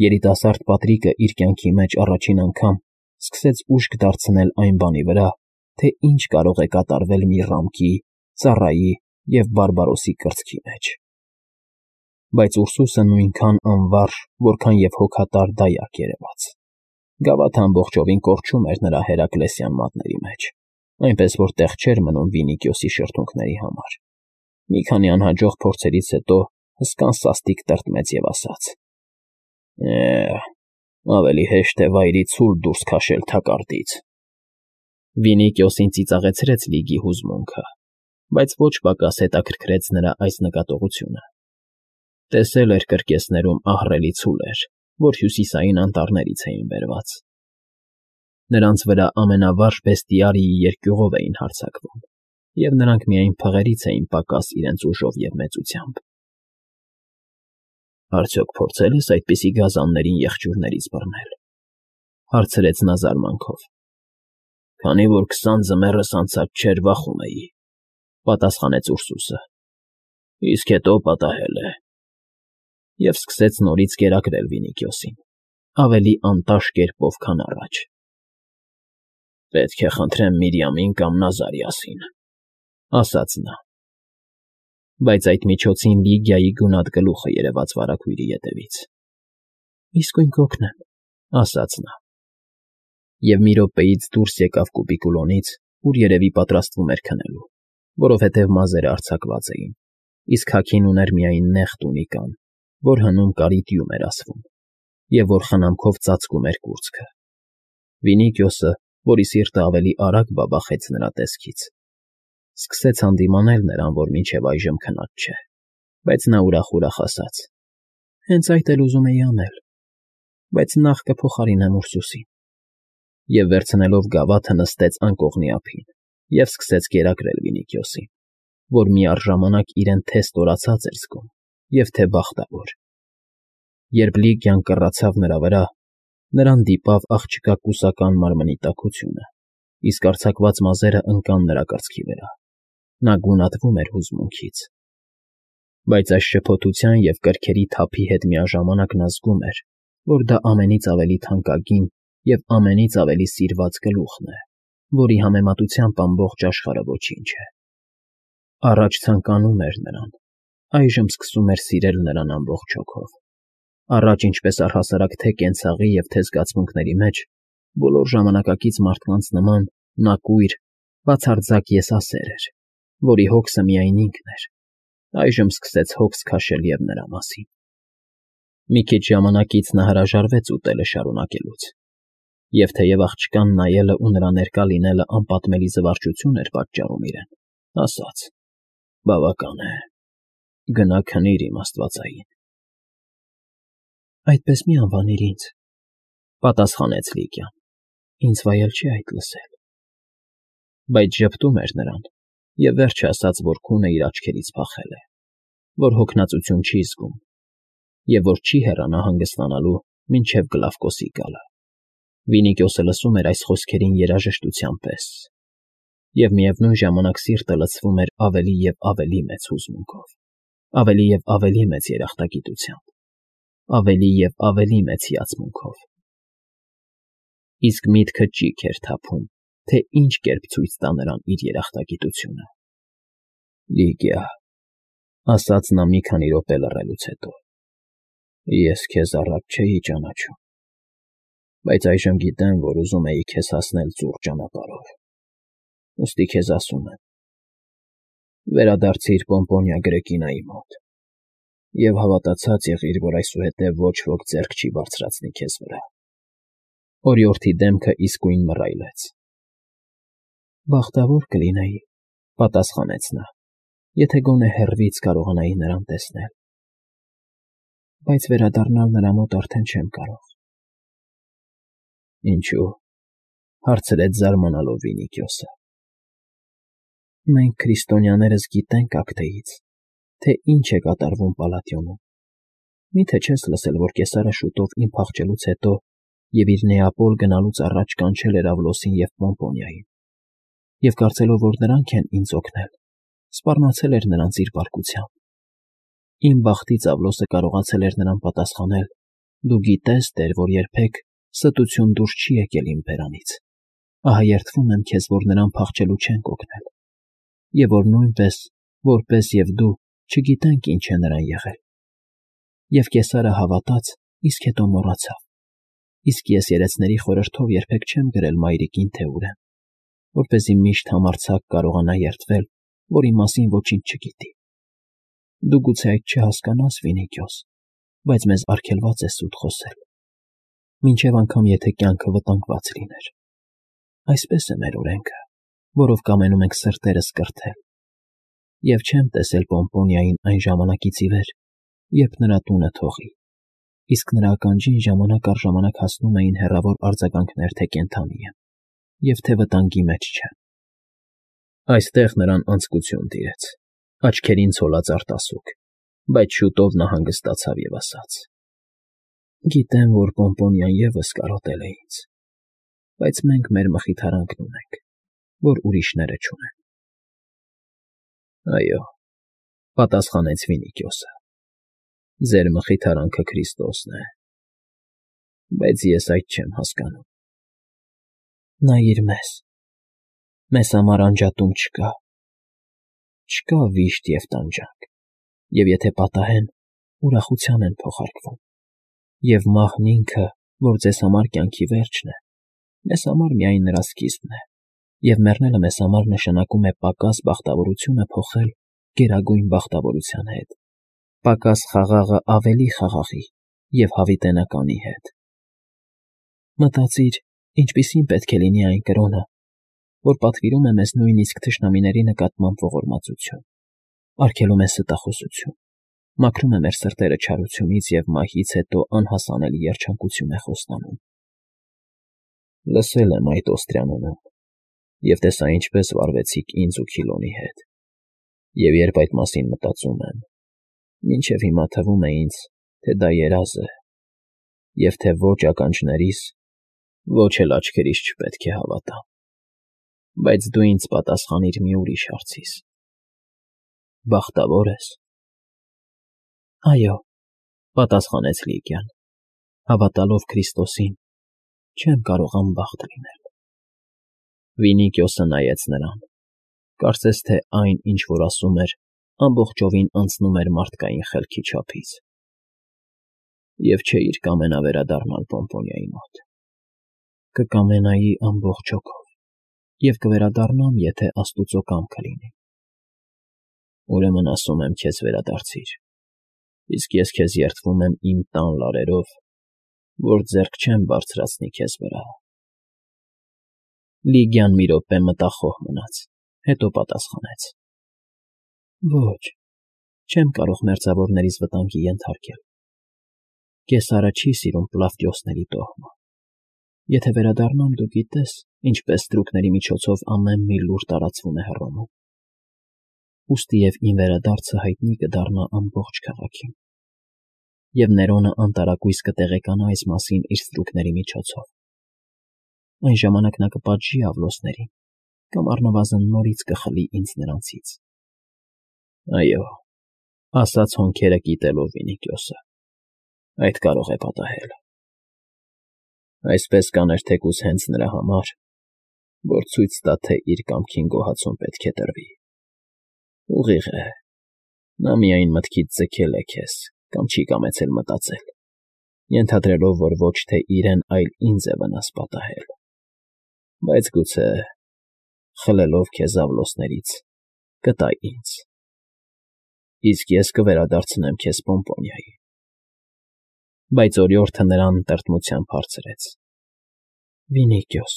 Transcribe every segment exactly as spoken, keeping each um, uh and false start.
Երիտասարդ Պատրիկը իր կյանքի մեջ առաջին անգամ սկսեց ուշք դարձնել այն բանի վրա, թե ինչ կարող է կատարվել մի ռամկի, ծառայի և բարբարոսի կրծքի մեջ։ Բայց Ուրսուսը նույնքան անվարժ, որքան և հոգատար դայակ երևաց։ Գավաթը ամբողջովին կորչում էր նրա հերակլեսյան մատների մեջ, այնպես որ տեղ չէր մնում Վինիքիոսի շրթունքների համար։ Մի քանի անհաջող փորձերից հետո հսկան սաստիկ տրտմեց և ասաց. «Է՛հ, ավելի հեշտ է վայրի ցուլ դուրս քաշել թակարդից»։ Վինիքիոսին ծիծաղեցրեց Լիգի հուզմունքը, բայց ոչ պակաս հետաքրքրեց նրա այս նկատողությունը։ Տեսել էր կրկեսներում ահռելի ցուլեր, որ հյուսիսային անտառներից էին բերված։ Նրանց վրա ամենավարժ բեստիարիի երկյուղով էին հարձակվում, և նրանք միայն փղերից էին պակաս իրենց ուժով և մեծությամբ։ ֊ Արդյոք փորձե՞լ ես այդպիսի գազաններին եղջյուրներից բռնել,֊ հարցրեց նա զարմանքով։ ֊ Քանի որ քսան ձմեռս անցած չէր, վախում էի,֊ պատասխանեց Ուրսուսը,֊ իսկ հետո պատահել է… Եվ սկսեց նորից կերակրել Վինիքիոսին, ավելի անտաշ կերպով, քան առաջ։ ֊ Պետք է խնդրեմ Միրիամին կամ Նազարիասին,֊ ասաց նա։ Բայց այդ միջոցին Լիգիայի գունատ գլուխը երևաց վարագույրի ետևից։ ֊ Իսկույն կօգնեմ,֊ ասաց նա։ Եվ մի րոպեից դուրս եկավ կուբիկուլոնից, ուր երևի պատրաստվում էր քնելու, որովհետև մազերը արձակված էին, իսկ հագին ուներ միայն նեղ տունիկան, որ հնում կարիդիում էր ասվում, և որ խնամքով ծածկում էր կուրծքը։ Վինիքիոսը, որի սիրտը ավելի արագ բաբախեց նրա տեսքից, սկսեց հանդիմանել նրան, որ մինչև այժմ քնած չէ, բայց նա ուրախ֊ուրախ ասաց. «Հենց այդ էլ ուզում էի անել, բայց նախ կփոխարինեմ Ուրսուսին»։ Եվ վերցնելով գավաթը նստեց անկողնի ափին և սկսեց կերակրել Վինիքիոսին, որ միառժամանակ իրեն թե ստորացած էր զգում և թե բախտավոր։ Երբ Լիգիան կռացավ նրա վրա, նրան դիպավ աղջկա կուսական մարմնի տաքությունը, իսկ արձակված մազերը ընկան նրա կրծքի վրա։ Նա գունատվում էր հուզմունքից։ Բայց այս շփոթության և կրքերի թափի հետ միաժամանակ նա զգում էր, որ դա ամենից ավելի թանկագին և ամենից ավելի սիրված գլուխն է, որի համեմատությամբ ամբողջ աշխարհը ոչինչ է։ Առաջ ցանկանում էր նրան, այժմ սկսում էր սիրել նրան ամբողջ հոգով։ Առաջ ինչպես առհասարակ թե կենցաղի և թե զգացմունքների մեջ, բոլոր ժամանակակից մարդկանց նման, նա կույր, բացարձակ եսասեր էր, որի հոգսը միայն ինքն էր, այժմ սկսեց հոգս քաշել և նրա մասին։ Մի քիչ ժամանակից նա հրաժարվեց ուտելը շարունակելուց, և թեև աղջկան նայելն ու նրա ներկա լինելն անպատմելի զվարճություն էր պատճառում իրեն, ասաց. «Բավական է, գնա քնիր, իմ աստվածային»։ ֊ Այդպես մի անվանիր ինձ,֊ պատասխանեց Լիգիան,֊ ինձ վայել չի այդ լսել։ Բայց ժպտում էր նրան և վերջ է ասաց, որ քունը իր աչքերից փախել է, որ հոգնածություն չի զգում և որ չի հեռանա հանգստանալու, մինչև Գլավկոսի գալը։ Վինիքիոսը լսում էր այս խոսքերին երաժշտության պես, և միևնույն ժամանակ սիրտը լցվում էր ավելի և ավելի մեծ հուզմունքով, ավելի և ավելի մեծ երախտագիտությամբ, ավելի և ավելի մեծ հիացմունքով։ Իսկ միտքը ճիգ էր թափում, թե ինչ կերպ ցույց տա նրան իր երախտագիտությունը։ ֊ Լիգիա,֊ ասաց նա մի քանի րոպե լռելուց հետո,֊ ես քեզ առաջ չէի ճանաչում, բայց այժմ գիտեմ, որ ուզում էի քեզ հասնել ծուռ ճանապարհով, ուստի քեզ ասում եմ. վերադարձիր Պոմպոնիա Գրեկինայի մոտ և հավատացած եղիր, որ այսուհետև ոչ ոք ձեռք չի բարձրացնի քեզ վրա։ Օրիորդի դեմքը իսկույն մռայլեց։ ֊ Բախտավոր կլինեի,֊ պատասխանեց նա,֊ եթե գոնե հեռվից կարողանայի նրան տեսնել, բայց վերադառնալ նրա մոտ արդեն չեմ կարող։ ֊ Ինչո՞ւ,֊ հարցրեց զարմանալով Վինիքիոսը։ ֊ Մենք քրիստոնյաներս գիտենք Ակթեից, թե ինչ է կատարվում Պալատիոնում։ Մի՞թե չես լսել, որ կեսարը շուտով իմ փախչելուց հետո և իր Նեապոլ գնալուց առաջ կանչել էր Ավլոսին և Պոմպոնիային, և կարծելով, որ նրանք են ինձ օգնել, սպառնացել էր նրանց իր բարկությամբ։ Իմ բախտից Ավլոսը կարողացել էր նրան պատասխանել Դու գիտես, Տեր, որ երբեք ստություն դուրս չի եկել իմ բերանից, ահա երդվում եմ քեզ, որ նրան փախչելու չենք օգնել, և որ նույնպես, որպես և դու, չգիտենք ինչ է նրան եղել։ Եվ Կեսարը հավատաց, իսկ հետո մոռացավ, իսկ ես երեցների խորհրդով երբեք չեմ գրել մայրիկին, թե ուր եմ, որպեսզի միշտ համարձակ կարողանա երդվել, որ իմ մասին ոչինչ չգիտի։ Դու գուցե այդ չհասկանաս, Վինիքիոս, բայց մեզ արգելված է սուտ խոսել, մինչև անգամ եթե կյանքը վտանգված լիներ։ Այսպես է մեր օրենքը, որով կամենում ենք սրտերս կրթել, և չեմ տեսել Պոմպոնիային այն ժամանակից ի վեր, երբ նրա տունը թողի, իսկ նրա ականջին ժամանակ առ ժամանակ հասնում էին հեռավոր արձագանքներ, թե կենդանի եմ, և թե վտանգի մեջ չեմ։ Այստեղ նրան անձկություն տիրեց, աչքերին ցոլած արտասուք, բայց շուտով նա հանգստացավ և ասաց. «Գիտեմ, որ Պոմպոնիան ևս կարոտել է ինձ, բայց մենք մեր մխիթարանքն ունենք, որ ուրիշները չունեն»։ ֊ Այո,֊ պատասխանեց Վինիքիոսը,֊ ձեր մխիթարանքը Քրիստոսն է, բայց ես այդ չեմ հասկանում։ ֊ Նայիր մեզ, մեզ համար անջատում չկա, չկա վիշտ և տանջանք, և եթե պատահեն, ուրախության են փոխարկվում, և մահն ինքը, որ ձեզ համար կյանքի վերջն է, մեզ համար միայն նրա սկիզբն է, և մեռնելը մեզ համար նշանակում է պակաս բախտավորությունը փոխել գերագույն բախտավորության հետ, պակաս խաղաղը ավելի խաղաղի և հավիտենականի հետ։ Մտածիր, ինչպիսին պետք է լինի այն կրոնը, որ պատվիրում է մեզ նույնիսկ թշնամիների նկատմամբ ողորմածություն, արգելում է ստախոսություն, մաքրում է մեր սրտերը չարությունից և մահից հետո անհասանելի երջանկություն է խոստանում։ Լսել եմ այդ Օստրիանոնում և տեսա ինչպես վարվեցիք ինձ ու Քիլոնի հետ, և երբ այդ մասին մտածում եմ, մինչև հիմա թվում է ինձ, թե դա երազ է, և թե ոչ ականջներիս, ոչ էլ աչքերիս չպետք է հավատամ։ Բայց դու ինձ պատասխանիր մի ուրիշ հարցիս. բախտավո՞ր ես։ ֊ Այո,֊ պատասխանեց Լիգիան, հավատալով Քրիստոսին, չեմ կարող անբախտ լինել։ Վինիքիոսը նայեց նրան, կարծես թե այն, ինչ որ ասում էր, ամբողջովին անցնում էր մարդկային խելքի չափից։ ֊ Եվ չէիր կամենա վերադառնալ Պոմպոնիայի մոտ։ ֊ Կկամենայի ամբողջ հոգով և կվերադառնամ, եթե աստուծո կամքը լինի։ ֊ Ուրեմն ասում եմ քեզ վերադարձիր, իսկ ես քեզ երդվում եմ իմ տան լարերով, որ ձեռք չեմ բարձրացնի քեզ վրա։ Լիգիան մի րոպե մտախոհ մնաց, հետո պատասխանեց. ֊ Ոչ, չեմ կարող մերձավորներիս վտանգի ենթարկել։ Կեսարը չի սիրում Պլավդիոսների տոհմը։ Եթե վերադառնամ, դու գիտես, ինչպես ստրուկների միջոցով ամեն մի լուր տարածվում է Հռոմում։ Ուստի և իմ վերադարձը հայտնի կդառնա ամբողջ քաղաքին, և Ներոնը անտարակույս կտեղեկանա այս մասին իր ստրուկների միջոցով։ Այն ժամանակ նա կպատժի Ավլոսներին կամ առնվազն նորից կխլի ինձ նրանցից։ ֊ Այո,֊ ասաց հոնքերը կիտելով Վինիքիոսը,֊ այդ կարող է պատահել։ Այսպես կաներ թեկուզ հենց նրա համար, որ ցույց տա, թե իր կամքին գոհացում պետք է տրվի։ Ուղիղ է, նա միայն մտքից ձգել է քեզ կամ չի կամեցել մտածել, ենթադրելով, որ ոչ թե իրեն, այլ ինձ է վնաս պատահել, բայց գուցե, խլելով քեզ Ավլոսներից, կտա ինձ, իսկ ես կվերադարձնեմ քեզ Պոմպոնիայի։ Բայց օրիորդը նրան տրտմությամբ հարցրեց. ֊ Վինիքիոս,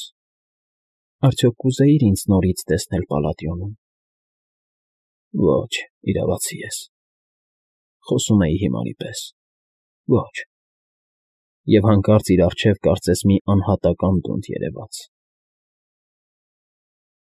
արդյոք կուզեիր ինձ նորից տեսնել Պալատիոնում։ ֊ Ոչ, իրավացի ես,֊ խոսում էի հիմարի պես,֊ ոչ։ Եվ հանկարծ իր առջև կարծես մի անհատական դունդ երևաց։